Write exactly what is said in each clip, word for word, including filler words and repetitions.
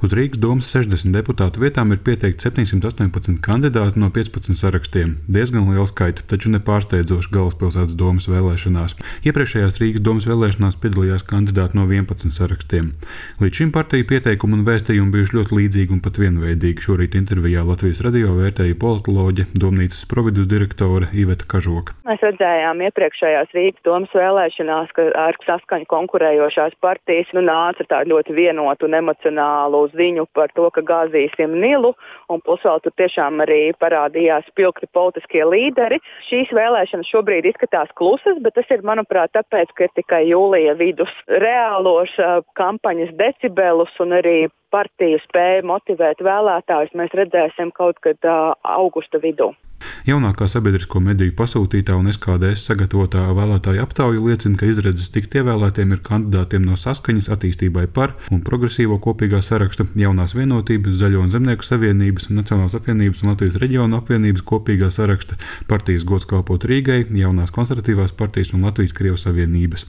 Uz Rīgas domas sešdesmit deputātu vietām ir pieteikti septiņsimt astoņpadsmit kandidāti no piecpadsmit sarakstiem. Diezgan liela skaita, taču nepārsteidzoši galvaspilsētas domas vēlēšanās. Iepriekšējās Rīgas domas vēlēšanās piedalījās kandidāti no vienpadsmit sarakstiem. Līdz šim partiju pieteikumi un vēstījumi bijuši ļoti līdzīgi un pat vienveidīgi. Šorīt intervijā Latvijas radio vērtēja politoloģe, domnīcas providus direktore Iveta Kažoka. Mēs redzējām iepriekšējās Rīgas domas vēlēšanās, ka ar saskaņu konkurējošās partijas nu, nāca tā ļoti vienotu un emocionālu ziņu par to, ka gāzīsim Nilu, un plus vēl tur tiešām arī parādījās spilgti politiskie līderi. Šīs vēlēšanas šobrīd izskatās klusas, bet tas ir, manuprāt, tāpēc, ka ir tikai jūlija vidus. Reālos kampaņas decibelus un arī partiju spēja motivēt vēlētājus mēs redzēsim kaut kad uh, augusta vidū. Jaunākā sabiedrisko mediju pasūtītā un S K D S sagatavotā vēlētāju aptauja liecina, ka izredzes tikt ievēlētiem ir kandidātiem no Saskaņas, Attīstībai par un Progresīvo kopīgā saraksta, Jaunās vienotības, Zaļo un Zemnieku savienības, Nacionālās apvienības un Latvijas reģionu apvienības kopīgā saraksta, partijas Gods kalpot Rīgai, Jaunās konservatīvās partijas un Latvijas Krievu savienības.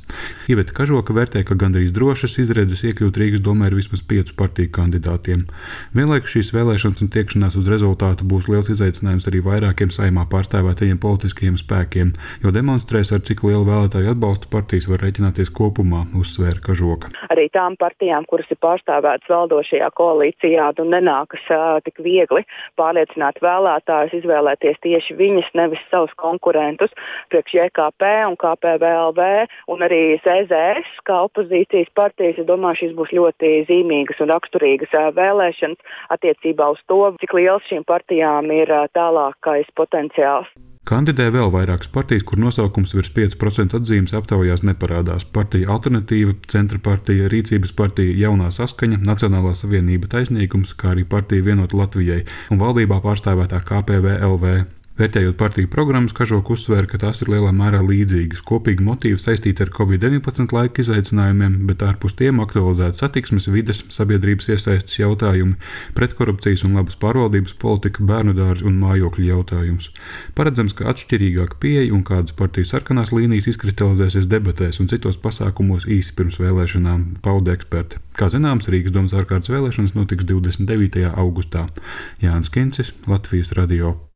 Iveta Kažoka vērtē, ka gandrīz drošas izredzes iekļūt Rīgas domē ir vismaz piecu partiju kandidātiem. Vienlaikus šīs vēlēšanas un tiekšanās uz rezultātu būs liels izaicinājums arī vairākiem saimā pārstāvētajiem politiskajiem spēkiem, jo demonstrēs, ar cik lielu vēlētāju atbalstu partijas var rēķināties kopumā, uzsvēra Kažoka. Arī tām partijām, kuras ir pārstāvētas valdošajā koalīcijā, nu nenākas uh, tik viegli pārliecināt vēlētājus, izvēlēties tieši viņas, nevis savus konkurentus, priekš J K P un K P V L V un arī Z Z S, kā opozīcijas partijas. Es domāju, šīs būs ļoti zīmīgas un raksturīgas uh, vēlēšanas attiecībā uz to, cik liels šīm partijām ir uh, tālākais potenciāls. Kandidē vēl vairākas partijas, kur nosaukums virs pieci procenti atzīmes aptaujās neparādās. Partija Alternatīva, Centra partija, Rīcības partija, Jaunā saskaņa, Nacionālā savienība Taisnīgums, kā arī partija Vienota Latvijai un valdībā pārstāvētā K P V L V. Vērtējot partiju programmas, Kažoka uzsvēra, ka tās ir lielā mērā līdzīgas. Kopīgi motīvi saistīti ar covid deviņpadsmit laika izaicinājumiem, bet ārpus tiem aktualizēta satiksmes, vides, sabiedrības iesaistes jautājumi, pretkorupcijas un labas pārvaldības politika, bērnu dārzi un mājokļu jautājums. Paredzams, ka atšķirīgāka pieeja un kādas partiju sarkanās līnijas izkristalizēsies debatēs un citos pasākumos īsi pirms vēlēšanām, pauda eksperti. Kā zināms, Rīgas domas ārkārtas vēlēšanas notiks divdesmit devītajā augustā. Jānis Kincis, Latvijas radio.